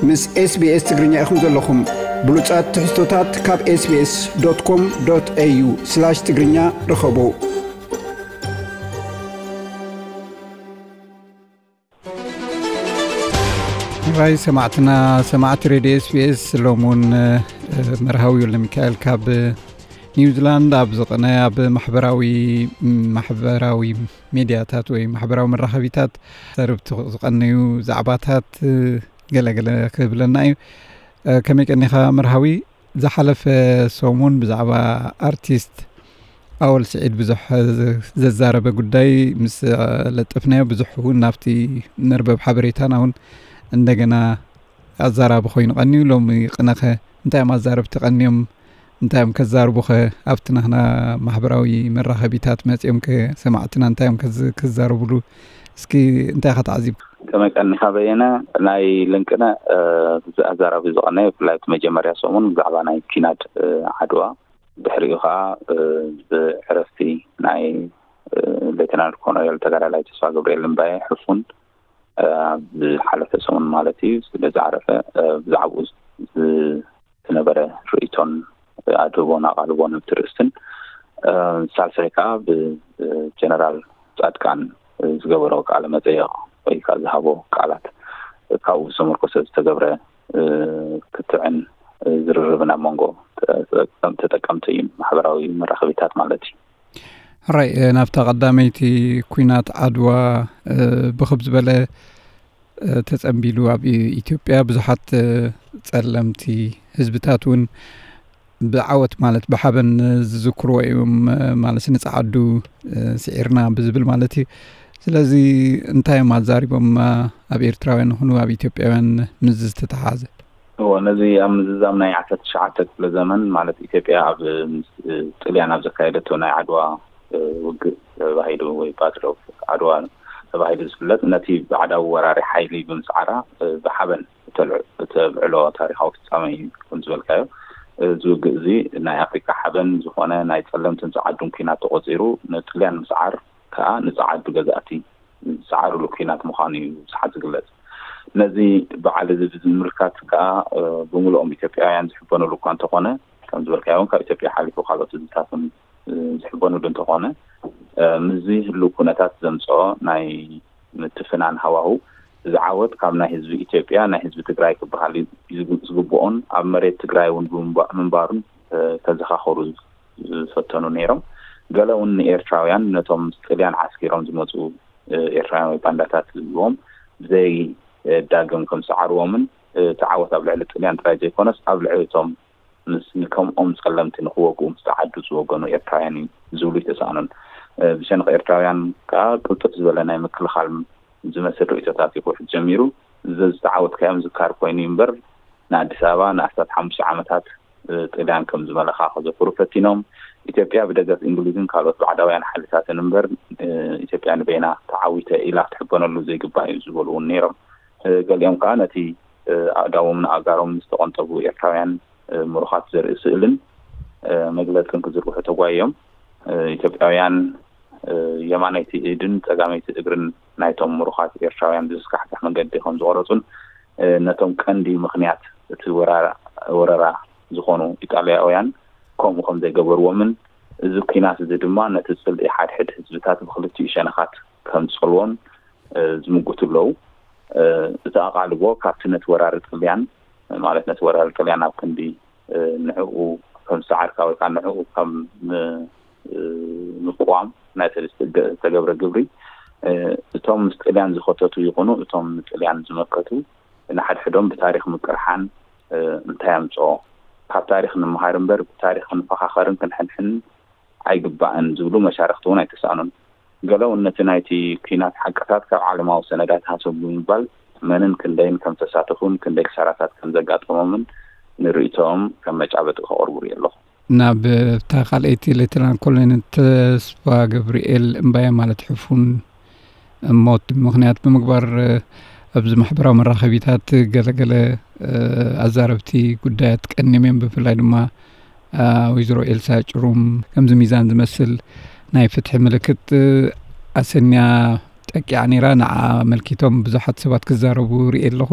ምስ SBS ትግርኛ ኢኹም ዘለኹም። ብሉጻት ትሕዝቶታት ካብ SBS.com.au/ትግርኛ ርኸቡ። ራይ ሰማዕትና፣ ሰማዕቲ ሬድዮ SBS፣ ሎም እውን መርሃዊ ወልደ ሚካኤል ካብ ኒውዚላንድ ኣብ ዝቐነ ኣብ ማሕበራዊ ማሕበራዊ ሜድያታት ወይ ማሕበራዊ መራኸቢታት ተርብቲ ዝቐነዩ ዛዕባታት ገለገለ ክብለና እዩ። ከመይ ቀኒኻ መርሃዊ? ዝሓለፈ ሰሙን ብዛዕባ ኣርቲስት ኣወል ስዒድ ብዙሕ ዘዛረበ ጉዳይ ምስ ለጠፍናዮ፣ ብዙሕ እውን ናብቲ መርበብ ሓበሬታና እውን እንደገና ኣዛራቢ ኮይኑ ቀንዩ። ሎሚ ቅነኸ እንታይ እዮም ኣዛረብቲ ቀንዮም? እንታይ እዮም ከዛርቡኸ? ኣብቲ ናህና ማሕበራዊ መራኸቢታት መጺኦም ከ ሰማዕትና እንታይ እዮም ከዝ-፣ ክዛረቡሉ? እስኪ እንታይ ኢኻ ተዓዚብ? ከመይ ቀኒኻ በየነ? ናይ ልንቅነ፣ እ፣ ኣዛራቢ ዝቐነ ብፍላይ እቲ መጀመርያ ሰሙን ብዛዕባ ናይ ኪናት፣ እ፣ ዓድዋ፣ ድሕሪኡ ኸዓ፣ እ፣ ብዕረፍቲ ናይ፣ እ፣ ሌተናል ኮሎኔል ተጋዳላይ ተስፋ ገብርኤል እምባየ ሕፉን፣ እ፣ ብዝሓለፈ ሰሙን ማለት እዩ፣ ስለ ዝዓረፈ፣ እ፣ ብዛዕባኡ ዝ-፣ ዝነበረ ርእይቶን ኣድህቦን ኣቓልቦን ኣብቲ ርእስትን፣ እ፣ ሳልሳይ ከኣ ብጀነራል ጻድቃን ዝገበሮ ቃለ መጠየቕ ወይ ከኣ ዝሃቦ ቃላት፣ ካብኡ ዝተመርኮሰ ዝተገብረ፣ እ፣ ክትዕን ዝርርብን ኣብ መንጎ ተጠቀም-፣ ተጠቀምቲ ማሕበራዊ መራኸቢታት ማለት እዩ። ሕራይ፣ እ፣ ናብታ ቀዳመይቲ ኲናት ዓድዋ፣ እ፣ ብኽብ ዝበለ፣ እ፣ ተጸንቢሉ ኣብ ኢ-፣ ኢትዮጵያ ብዙሓት፣ እ፣ ጸለምቲ ህዝብታት እውን ብዓወት ማለት ብሓበን ዝዝክርዎ እዮም፣ እ፣ ማለት ንጸዓዱ፣ እ፣ ስዒርና ብዝብል ማለት እዩ። ስለዚ እንታይ እዮም ኣዛሪቦም፣ እ፣ ኣብ ኤርትራውያን ይኹኑ ኣብ ኢትዮጵያውያን ምስ ዝተተሓሓዘ? እወ፣ ነዚ ኣብ ምዝዛም ናይ ዓሰርተ ትሽዓተ ክፍለ ዘመን ማለት ኢትዮጵያ ኣብ ምስ ጥልያን ኣብ ዘካየደቶ ናይ ዓድዋ፣ እ፣ ውግእ ተባሂሉ ወይ ባትል ኦፍ ዓድዋ ተባሂሉ ዝፍለጥ ነቲ ባዕዳዊ ወራሪ ሓይሊ ብምስዓራ፣ እ፣ ብሓበን እተልዕ-፣ እተብዕሎ ታሪኻዊ ፍጻመ እዩ። ከም ዝበልካዮ፣ እዚ ውግእ እዚ ናይ ኣፍሪካ ሓበን ዝኾነ ናይ ጸለምትን ጸዓዱን ኲናት ተቖጺሩ፣ ንጥልያን ምስዓር ከኣ ንጸዓዱ ገዛእቲ ዝሰዓርሉ ኲናት ምዃኑ እዩ ብዙሓት ዝግለጽ። ነዚ በዓል እዚ ብምምልካት ከኣ፣ እ፣ ብምልኦም ኢትዮጵያውያን ዝሕበኑሉ እኳ እንተኾነ፣ ከም ዝበልካዮ እውን ካብ ኢትዮጵያ ሓሊፉ ካልኦት ህዝብታት እውን፣ እ፣ ዝሕበኑሉ እንተኾነ፣ እ፣ ምስዚ ህልው ኩነታት ዘምጽኦ ናይ ምትፍናን ሃዋሁ፣ እዚ ዓወት ካብ ናይ ህዝቢ ኢትዮጵያ፣ ናይ ህዝቢ ትግራይ ክበሃል ዝግ-፣ ዝግብኦን ኣብ መሬት ትግራይ እውን ብምንባ-፣ ምንባሩን፣ እ፣ ከዘኻኸሩ ዝፈተኑ ነይሮም። ገለ እውን ንኤርትራውያን ነቶም ምስ ጥልያን ዓስኪሮም ዝመጹ፣ እ፣ ኤርትራውያን ወይ ባንዳታት ዝብልዎም ብዘይ፣ እ፣ ዳግም ከም ዝሰዓርዎምን፣ እ፣ እቲ ዓወት ኣብ ልዕሊ ጥልያን ጥራይ ዘይኮነስ ኣብ ልዕሊ እቶም ምስ ንከምኦም ጸለምቲ ንክወግኡ ምስ ጸዓዱ ዝወገኑ ኤርትራውያን እዩ ዝብሉ ይተሳእኑን። እ፣ ብሸነኽ ኤርትራውያን ከኣ ቅልጡፍ ዝበለ ናይ ምክልኻል ዝመስል ርእይቶታት እዩ ክውሕድ ጀሚሩ። እዚ ዝተዓወትካዮም ዝካር ኮይኑ እዩ እምበር፣ ንኣዲስ ኣበባ ንኣስታት ሓሙሽተ ዓመታት፣ እ፣ ጥልያን ከም ዝመለኻ ከዘክሩ ፈቲኖም። ኢትዮጵያ ብደገፍ እንግሊዝን ካልኦት ባዕዳውያን ሓይልታትን እምበር፣ እ፣ ኢትዮጵያ ንበይና ተዓዊተ ኢላ ክትሕበነሉ ዘይግባእ እዩ ዝበሉ እውን ነይሮም። እ፣ ገሊኦም ከኣ ነቲ፣ እ፣ ኣእዳዎም ንኣእጋሮም ዝተቐንጠቡ ኤርትራውያን፣ እ፣ ምሩኻት ዘርኢ ስእልን፣ እ፣ መግለጽን ክዝርግሑ ተጓይዮም። እ፣ ኢትዮጵያውያን፣ እ፣ የማነይቲ ኢድን ጸጋመይቲ እግርን ናይቶም ምሩኻት ኤርትራውያን ብዘስካሕክሕ መንገዲ ከም ዝቖረጹን፣ እ፣ ነቶም ቀንዲ ምኽንያት እቲ ወራራ፣ ወረራ ዝኾኑ ኢጣልያውያን ከምኡ ከም ዘይገበርዎምን፣ እዚ ኲናት እዚ ድማ ነቲ ጽልኢ ሓድሕድ ህዝብታት ብኽልቲኡ ሸነኻት ከም ዝጸልዎን፣ እ፣ ዝምጉቱ ኣለዉ። እ፣ እቲ ኣቓልቦ ካብቲ ነቲ ወራሪ ጥልያን፣ ማለት ነቲ ወራሪ ጥልያን ኣብ ክንዲ፣ እ፣ ንዕኡ ከም ዝሰዓርካ ወይ ከዓ ንዕኡ ከም ም-፣ እ፣ ምቅዋም ናይቲ ዝተገ-፣ ዝተገብረ ግብሪ፣ እ፣ እቶም ምስ ጥልያን ዝኸተቱ ይኹኑ እቶም ንጥልያን ዝመከቱ ንሓድሕዶም ብታሪኽ ምቅርሓን፣ እ፣ እንታይ ኣምጽኦ? ካብ ታሪኽ ንምሃር እምበር ብታሪኽ ክንፈኻኸርን ክንሕንሕንን ኣይግባእን ዝብሉ መሻርኽቲ እውን ኣይተሳእኑን። ገለ እውን ነቲ ናይቲ ኲናት ሓቅታት ካብ ዓለማዊ ሰነዳት ሃሰው ብምባል መንን ክንደይን ከም ተሳተፉን ክንደይ ክሳራታት ከም ዘጋጠሞምን ንርእይቶኦም ከም መጫበጢ ከቕርቡ ርኢ ኣለኹ። ናብ እታ ካልኣይቲ ሌተናል ኮሎኔል ተስፋ ገብርኤል እምባየ ማለት ሕፉን ሞት ምኽንያት ብምግባር፣ እ፣ ኣብዚ ማሕበራዊ መራኸቢታት ገለገለ፣ እ፣ ኣዛረብቲ ጉዳያት ቀኒዮም እዮም። ብፍላይ ድማ፣ እ፣ ወይዘሮ ኤልሳ ጭሩም ከምዚ ሚዛን ዝመስል ናይ ፍትሒ ምልክት፣ እ፣ ኣሰንያ በቂዓ ነይራ። ንዓ ኣመልኪቶም ብዙሓት ሰባት ክዛረቡ ርእየ ኣለኹ።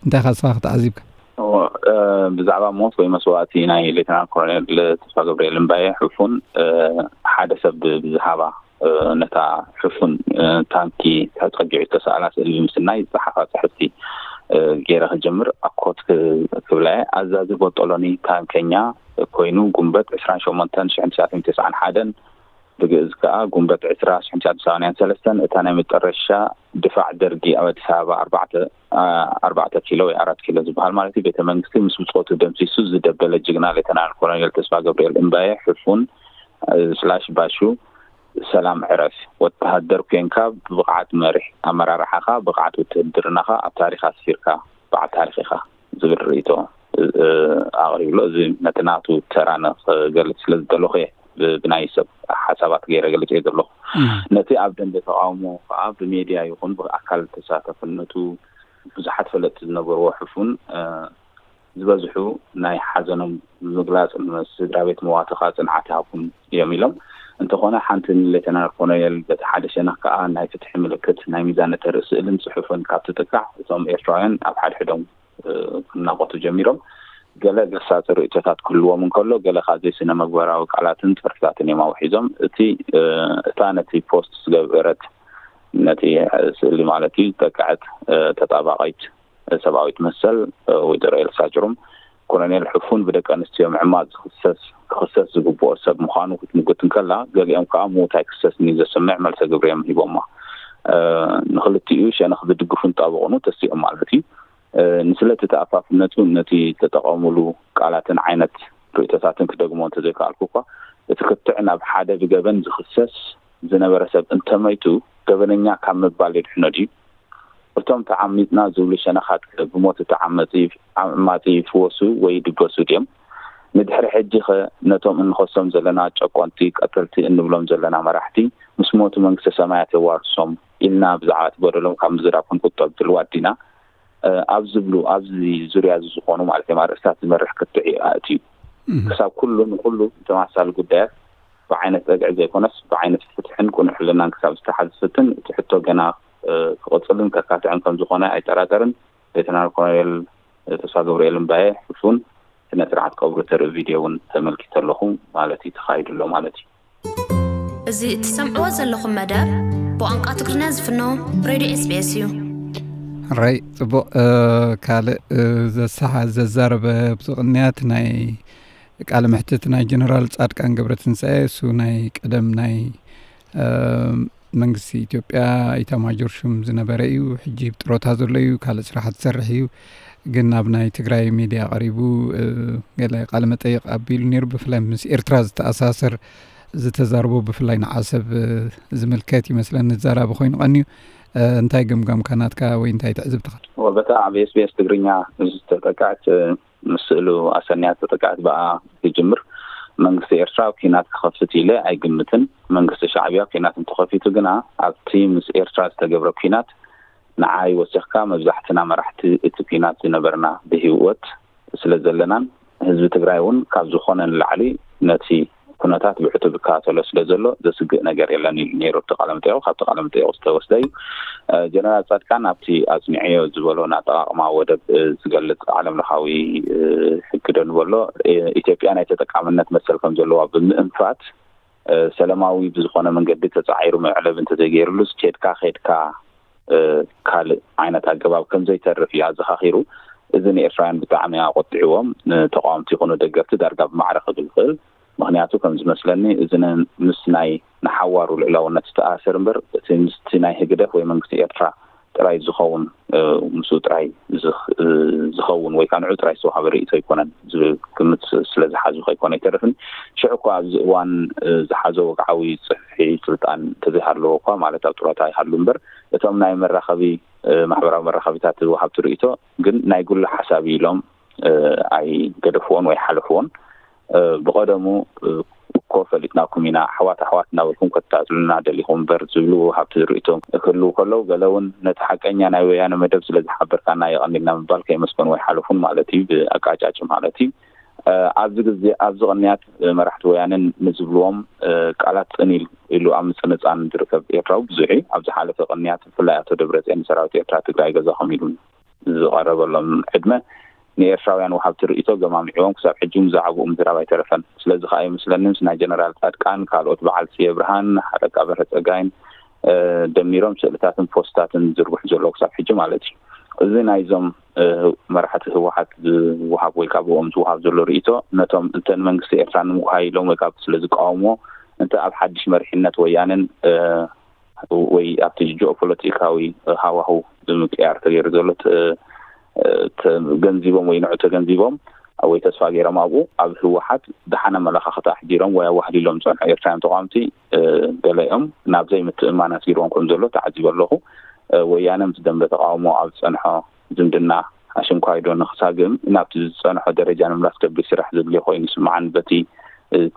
እንታይ ኢኻ ንስኻ ተዓዚብካ? እዎ፣ እ፣ ብዛዕባ ሞት ወይ መስዋእቲ ናይ ሌተናል ኮሎኔል ተስፋ ገብርኤል እምባየ ሕፉን፣ እ፣ ሓደ ሰብ ብዝሃባ፣ እ፣ ነታ ሕፉን፣ እ፣ ታንኪ ተጸጊዑ ዝተሳእላ ስእሊ ብምስናይ ዝጸሓፋ ጽሕፍቲ፣ እ፣ ገይረ ክጀምር ኣኮት ክ-፣ ክብላ እየ። ኣዛዚ ቦጦሎኒ ታንከኛ ኮይኑ ጉንበት ዕስራን ሸሞንተን ሽሕን ትሽዓተ ሚእትን ተስዓን ሓደን፣ ብግእዝ ከኣ ጉንበት ዕስራ ሽሕን ትሽዓተ ሚእትን ሰማንያን ሰለስተን፣ እታ ናይ መጨረሻ ድፋዕ ደርጊ ኣብ ኣዲስ ኣበባ ኣርባዕተ፣ ኣ፣ ኣርባዕተ ኪሎ ወይ ኣራት ኪሎ ዝበሃል ማለት እዩ፣ ቤተ መንግስቲ ምስ ብጾቱ ደምሲሱ ዝደበለ ጅግና ሌተናል ኮሎኔል ተስፋ ገብርኤል እምባየ ሕፉን፣ እ፣ ስላሽ ባሹ፣ ሰላም ዕረፍ። ወተሃደር ኮንካ ብብቕዓት መሪሕ ኣመራርሓኻ፣ ብቕዓት ውትህድርናኻ ኣብ ታሪኽ ኣስፊርካ በዓል ታሪኽ ኢኻ ዝብል ርእይቶ፣ እ፣ ኣቕሪብሎ። እዚ ነቲ ናቱ ተራ ንኽገልጽ ስለ ዝደለኹ እየ ብ-፣ ብናይ ሰብ ሓሳባት ገይረ ገልጽ እየ ዘለኹ። እም። ነቲ ኣብ ደንበ ተቃውሞ ከዓ ብሜድያ ይኹን ብኣካል ተሳተፍነቱ ብዙሓት ፈለጥቲ ዝነበርዎ ሕፉን፣ እ፣ ዝበዝሑ ናይ ሓዘኖም ምግላጽ ንስድራ ቤት መዋትኻ ጽንዓት ይሃብኩም እዮም ኢሎም። እንተኾነ ሓንቲ ንሌተናል ኮሎኔል በቲ ሓደ ሸነኽ ከዓ ናይ ፍትሒ ምልክት ናይ ሚዛን እተርኢ ስእልን ጽሑፍን ካብ ትጥቃዕ እቶም ኤርትራውያን ኣብ ሓድሕዶም፣ እ፣ ክናቆቱ ጀሚሮም። ገለ ገሳጺ ርእይቶታት ክህልዎም እንከሎ፣ ገለ ካብ ዘይስነ መግባራዊ ቃላትን ጽሑፍታትን እዮም ኣውሒዞም። እቲ፣ እ፣ እታ ነቲ ፖስት ዝገበረት ነቲ ስእሊ ማለት እዩ ዝጠቅዐት፣ እ፣ ተጣባቒት ሰብኣዊት መሰል፣ እ፣ ወይዘሮ ኤልሳ ጭሩም፣ ኮሎኔል ሕፉን ብደቂ ኣንስትዮ ምዕማጽ ዝኽሰስ፣ ክኽሰስ ዝግብኦ ሰብ ምዃኑ ክትምጉት እንከላ፣ ገሊኦም ከኣ ምዉት ኣይክሰስን እዩ ዘስምዕ መልሰ ግብሪ እዮም ሂቦማ። እ፣ ንኽልቲኡ ሸነኽ ዝድግፉን ጣበቑኑ ተሲኦም ማለት እዩ። እ፣ ንስለ እቲ ተኣፋፍነቱ ነቲ ዝተጠቐሙሉ ቃላትን ዓይነት ርእይቶታትን ክደግሞ እንተዘይከኣልኩ እኳ፣ እቲ ክትዕ ናብ ሓደ ብገበን ዝኽሰስ ዝነበረ ሰብ እንተመይቱ፣ ገበነኛ ካብ ምባል የድሕኖ ድዩ? እቶም ተዓሚጽና ዝብሉ ሸነኻት ከ ብሞት እቲ ዓመጺ፣ ዓማጺ ይፍወሱ ወይ ይድበሱ ድዮም? ንድሕሪ ሕጂ ኸ ነቶም እንኸሶም ዘለና ጨቆንቲ፣ ቀተልቲ እንብሎም ዘለና መራሕቲ፣ ምስ ሞቱ መንግስተ ሰማያት የዋርሶም ኢልና ብዛዕባ እቲ በደሎም ካብ ምዝራብ ክንቁጠብ ድልዋት ዲና? እ፣ ኣብ ዝብሉ፣ ኣብዚ ዙርያ እዚ ዝኾኑ ማለት እዮም ኣርእስታት ዝመርሕ ክትዕ ኣእትዩ። እም። ክሳብ ኩሉ ንኹሉ ተመሳሳሊ ጉዳያት ብዓይነት ጸግዒ ዘይኮነስ ብዓይነት ፍትሕን ቅኑዕ ሕልናን ክሳብ ዝተሓዝ ዝፍትን፣ እቲ ሕቶ ገና፣ እ፣ ክቕጽልን ከካትዕን ከም ዝኾነ ኣይጠራጠርን። ሌተናል ኮሎኔል ተስፋ ገብርኤል እምባየ ሕፉን ስነ ስርዓት ቀብሩ ተርኢ ቪድዮ እውን ተመልኪተ ኣለኹ ማለት እዩ፣ ተኻይዱ ኣሎ ማለት እዩ። እዚ እትሰምዕዎ ዘለኹም መደብ ብቋንቋ ትግርኛ ዝፍኖ ሬድዮ ኤስ ቢ ኤስ እዩ። ራይ ጽቡቕ፣ እ፣ ካልእ፣ እ፣ ዘሰሓ-፣ ዘዛረበ ኣብዚ ቅንያት ናይ ቃለ መሕትት ናይ ጀነራል ጻድቃን ገብረትንሳኤ፣ እሱ ናይ ቀደም ናይ፣ እ፣ መንግስቲ ኢትዮጵያ ኢታማጆር ሹም ዝነበረ እዩ። ሕጂ ብጥሮታ ዘሎ እዩ፣ ካልእ ስራሓት ዝሰርሕ እዩ። ግን ኣብ ናይ ትግራይ ሚድያ ቀሪቡ፣ እ፣ ገለ ቃለ መጠይቕ ኣቢሉ ነይሩ። ብፍላይ ምስ ኤርትራ ዝተኣሳሰር ዝተዛርቦ ብፍላይ ንዓሰብ፣ እ፣ ዝምልከት ይመስለኒ ዝዛራቢ ኮይኑ ቀንዩ። እ፣ እንታይ ግምጋምካ ናትካ ወይ እንታይ ትዕዝብትኻ? ወ-፣ በታ ኣብ ኤስ ቢ ኤስ ትግርኛ ዝተጠቅዐት፣ እ፣ ምስ ስእሉ ኣሰንያ ዝተጠቅዐት ብኣ ክጅምር። መንግስቲ ኤርትራ ኣብ ኲናት ክኸፍት ኢለ ኣይግምትን። መንግስቲ ሻዕብያ ኲናት እንተኸፊቱ ግና ኣብቲ ምስ ኤርትራ ዝተገብረ ኲናት ንዓይ ወሲኽካ መብዛሕትና መራሕቲ እቲ ኲናት ዝነበርና ብህይወት ስለ ዘለናን ህዝቢ ትግራይ እውን ካብ ዝኾነ ንላዕሊ ነቲ ኩነታት ብዕቱብ ይከታተሎ ስለ ዘሎ ዘስግእ ነገር የለን ኢሉ ነይሩ ኣብቲ ቃለ መጠይቁ። ካብቲ ቃለ መጠይቁ ዝተወስደ እዩ። እ፣ ጀነራል ጻድቃን ኣብቲ ኣጽኒዐዮ ዝበሎ ንኣጠቓቕማ ወደብ፣ እ፣ ዝገልጽ ዓለም ለኻዊ፣ እ፣ ሕጊ ዶ ንበሎ፣ እ፣ ኢትዮጵያ ናይ ተጠቃምነት መሰል ከም ዘለዋ ብምእንፋት፣ እ፣ ሰላማዊ ብዝኾነ መንገዲ ተጻዒሩ መዕለቢ እንተዘይገይሩሉስ ኬድካ ኬድካ፣ እ፣ ካልእ ዓይነት ኣገባብ ከም ዘይተርፍ እዩ ኣዘኻኺሩ። እዚ ንኤርትራውያን ብጣዕሚ ኣቆጢዕዎም፣ ንተቃወምቲ ይኹኑ ደገፍቲ ዳርጋ ብማዕረ ክብል ይኽእል። ምኽንያቱ ከም ዝመስለኒ እዚ ን-፣ ምስ ናይ ንሓዋሩ ልዕላውነት ዝተኣሰር እምበር እቲ ምስቲ ናይ ህግደፍ ወይ መንግስቲ ኤርትራ ጥራይ ዝኸውን፣ እ፣ ምስኡ ጥራይ ዝኽ-፣ እ፣ ዝኸውን ወይ ከዓ ንዑ ጥራይ ዝተዋሃበ ርእይቶ ኣይኮነን ዝብል ግምት ስለ ዝሓዙ ከይኮነ ኣይተርፍን። ሽዑ እኳ ኣብዚ እዋን፣ እ፣ ዝሓዞ ወግዓዊ ጽፍሒ ስልጣን እንተዘይሃለዎ እኳ፣ ማለት ኣብ ጡረታ ይሃሉ እምበር፣ እቶም ናይ መራኸቢ፣ እ፣ ማሕበራዊ መራኸቢታት ወሃብቲ ርእይቶ ግን ናይ ግሉ ሓሳብ ኢሎም፣ እ፣ ኣይገደፍዎን ወይ ሓለፍዎን። እ፣ ብቐደሙ፣ እ፣ እኮ ፈሊጥናኩም ኢና፣ ኣሕዋት ኣሕዋት እናበልኩም ከትታትሉና ደሊኹም እምበር ዝብሉ ወሃብቲ ርእይቶ ክህልዉ ከለዉ፣ ገለ እውን ነቲ ሓቀኛ ናይ ወያነ መደብ ስለ ዝሓበርካና የቐኒልና ምባል ከይመስገኑ ኣይሓለፉን ማለት እዩ፣ ብኣቃጫጭ ማለት እዩ። ኣብዚ ግዜ ኣብዚ ቅንያት መራሕቲ ወያነን ንዝብልዎም ቃላት ጽን ኢሉ ኣብ ምጽንጻን ዝርከብ ኤርትራዊ ብዙሕ እዩ። ኣብ ዝሓለፈ ቅንያት ብፍላይ ኣቶ ደብረጽዮን ንሰራዊት ኤርትራ ትግራይ ገዛኹም ኢሉ ዝቐረበሎም ዕድመ ንኤርትራውያን ወሃብቲ ርእይቶ ገማሚዕዎም ክሳብ ሕጂ ብዛዕባኡ ምዝራብ ኣይተረፈን። ስለዚ ከኣ ይመስለኒ ምስ ናይ ጀነራል ጻድቃን ካልኦት በዓል ጽየ ብርሃን ሓለቃ በርሀ ጸጋይን ደሚሮም ስእልታትን ፖስታትን ዝርግሑ ዘለዉ ክሳብ ሕጂ ማለት እዩ። እዚ ናይዞም መራሕቲ ህወሓት ዝወሃብ ወይ ካብ ብኦም ዝወሃብ ዘሎ ርእይቶ ነቶም እንተ ንመንግስቲ ኤርትራ ንምጉሃይ ኢሎም ወይ ካብ ስለ ዝቃወምዎ እንተ ኣብ ሓድሽ መሪሕነት ወያነን ወይ ኣብቲ ጂኦፖለቲካዊ ሃዋህው ብምቅያር ተገይሩ ዘሎ ተገንዚቦም ወይ ንዑ ተገንዚቦም ወይ ተስፋ ገይሮም ኣብኡ ኣብ ህወሓት ደሓን ኣመለኻኽታ ኣሕዲሮም ወይ ኣዋህሊሎም ዝፀንሑ ኤርትራውያን ተቃወምቲ ገለኦም ናብ ዘይምትእምማን ኣስጊርዎም ከም ዘሎ ተዓዚበ ኣለኹ። ወያነ ምስ ደንበ ተቃውሞ ኣብ ዝፀንሖ ዝምድና ኣሽንኳይዶ ንክሳግም ናብቲ ዝፀንሖ ደረጃ ንምምላስ ከቢድ ስራሕ ዘድልዮ ኮይኑ ይስምዓኒ። በቲ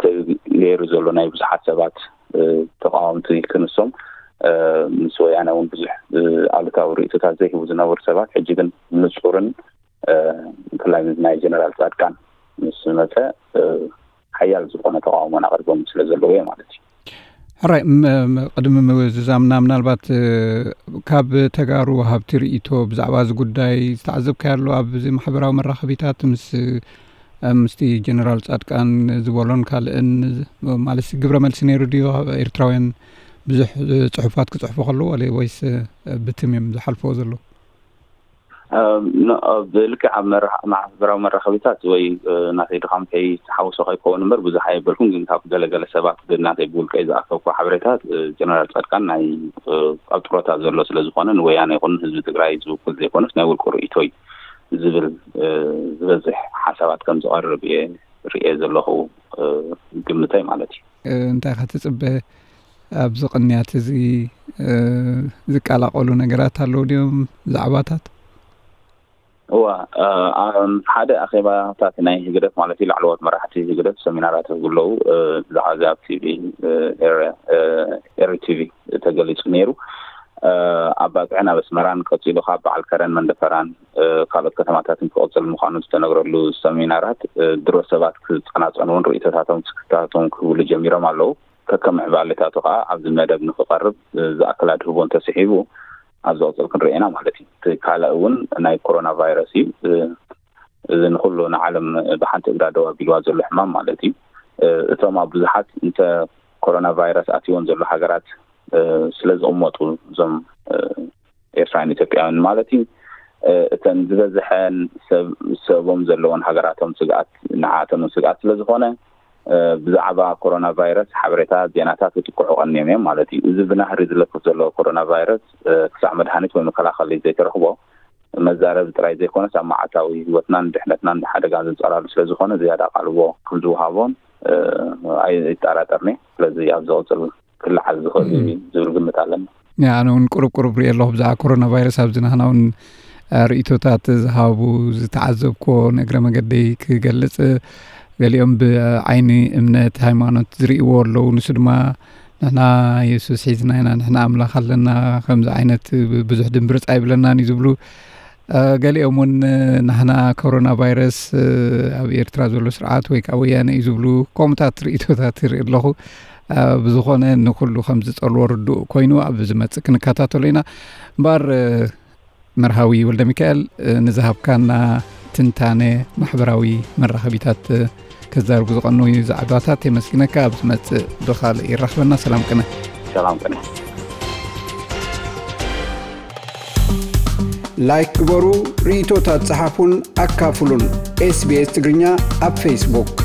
ተገይሩ ዘሎ ናይ ብዙሓት ሰባት ተቃወምቲ ክንሶም ምስ ወያነ እውን ብዙሕ ኣሉታዊ ርእይቶታት ዘይህቡ ዝነበሩ ሰባት ሕጂ ግን ንፁርን ብፍላይ ምስ ናይ ጀነራል ፃድቃን ምስ መፀ ሓያል ዝኾነ ተቃውሞን ኣቅሪቦም ስለ ዘለዉ እየ ማለት እዩ። ሕራይ ቅድሚ ምዝዛምና ምናልባት ካብ ተጋሩ ሃብቲ ርእይቶ ብዛዕባ እዚ ጉዳይ ዝተዓዘብካዮ ኣሎ ኣብዚ ማሕበራዊ መራኸቢታት ምስ ምስቲ ጀነራል ፃድቃን ዝበሎን ካልእን ማለት ግብረ መልሲ ነይሩ ድዩ? ኤርትራውያን ብዙሕ ፅሑፋት ክፅሕፉ ከለዉ ወይስ ብትም እዮም ዝሓልፈዎ ዘለዉ? ብልክዕ ኣብ ማሕበራዊ መራኸቢታት ወይ ናተይ ድኻም ከይተሓወሶ ከይከውን እምበር ብዙሕ ኣየበልኩን፣ ግን ካብ ገለገለ ሰባት ብናተይ ብውልቀይ ዝኣከብኩ ሓበሬታት ጀነራል ፃድቃን ናይ ኣብ ጥሮታ ዘሎ ስለ ዝኾነ ንወያነ ይኹን ህዝቢ ትግራይ ዝውክል ዘይኮነስ ናይ ውልቁ ርእይቶ እዩ ዝብል ዝበዝሕ ሓሳባት ከም ዝቐርብ እየ ርእየ ዘለኹ ግምተይ ማለት እዩ። እንታይ ኢኻ ትጽበ? ኣብዚ ቅንያት እዚ ዝቀላቐሉ ነገራት ኣለዉ ድዮም? ዛዕባታት? እዋ ሓደ ኣኼባታት ናይ ህግደፍ ማለት እዩ ላዕለዎት መራሕቲ ህግደፍ ሰሚናራት ህግለዉ ብዛዕባ እዚ ኣብ ቲቪ ኤሪ ቲቪ ተገሊጹ ነይሩ። ኣብ ባጽዕን ኣብ ኣስመራን ቀጺሉ ካብ በዓል ከረን መንደፈራን ካልኦት ከተማታትን ክቕጽል ምዃኑ ዝተነግረሉ ሰሚናራት ድሮ ሰባት ክጸናጸኑ እውን ርእይቶታቶም ስክፍታታቶም ክህብሉ ጀሚሮም ኣለዉ። ከከም ዕባሌታቱ ከዓ ኣብዚ መደብ ንክቐርብ ዝኣክል ኣድህቦ እንተስሒቡ ኣብ ዝቕፅል ክንርኢ ኢና ማለት እዩ። እቲ ካልእ እውን ናይ ኮሮና ቫይረስ እዩ። እዚ ንኩሉ ንዓለም ብሓንቲ እግራ ደው ኣቢልዋ ዘሎ ሕማም ማለት እዩ። እቶም ኣብ ብዙሓት እንተ ኮሮና ቫይረስ ኣትይወን ዘሎ ሃገራት ስለ ዝቕመጡ እዞም ኤርትራውያን ኢትዮጵያውያን ማለት እዩ እተን ዝበዝሐን ሰብኦም ዘለዎን ሃገራቶም ስግኣት ንዓኣቶም ስግኣት ስለ ዝኾነ ብዛዕባ ኮሮና ቫይረስ ሓበሬታ ዜናታት ክጥቅዑ ቀኒዮም እዮም ማለት እዩ። እዚ ብናህሪ ዝለፍፍ ዘሎ ኮሮና ቫይረስ ክሳዕ መድሃኒት ወይ መከላኸሊ ዘይተረኽቦ መዛረቢ ጥራይ ዘይኮነስ ኣብ መዓልታዊ ህይወትናን ድሕነትናን ሓደጋ ዘንጸላሉ ስለ ዝኾነ ዝያዳ ኣቓልቦ ከም ዝወሃቦን ኣይጠራጠርኒ። ስለዚ ኣብ ዝቕፅል ክለዓል ዝኽእል እዩ ዝብል ግምት ኣለኒ። ኣነ እውን ቁሩብ ቁሩብ ሪኤ ኣለኹ ብዛዕባ ኮሮና ቫይረስ ኣብዚ ናህና እውን ርእይቶታት ዝሃቡ ዝተዓዘብኮ ንእግረ መገደይ ክገልጽ ገሊኦም ብዓይኒ እምነት ሃይማኖት ዝርእይዎ ኣለዉ። ንሱ ድማ ንሕና የሱስ ሒዝና ኢና፣ ንሕና ኣምላኽ ኣለና፣ ከምዚ ዓይነት ብዙሕ ድምብርፅ ኣይብለናን እዩ ዝብሉ። ገሊኦም እውን ናህና ኮሮና ቫይረስ ኣብ ኤርትራ ዘሎ ስርዓት ወይ ከዓ ወያነ እዩ ዝብሉ ከምኡታት ርእይቶታት ይርኢ ኣለኹ። ብዝኾነ ንኩሉ ከም ዝጸልዎ ርዱእ ኮይኑ ኣብ ዝመጽእ ክንከታተሎ ኢና። እምበኣር መርሃዊ ወልደ ሚካኤል ንዝሃብካና ትንታነ ማሕበራዊ መራኸቢታት ከዛርቡ ዝቐነዩ ዛዕባታት የመስግነካ። ኣብ ዝመጽእ ብኻልእ ይራኽበና። ሰላም ቅነ። ሰላም ቅነ። ላይክ ግበሩ፣ ርእይቶታት ጸሓፉን ኣካፍሉን። ኤስቢኤስ ትግርኛ ኣብ ፌስቡክ።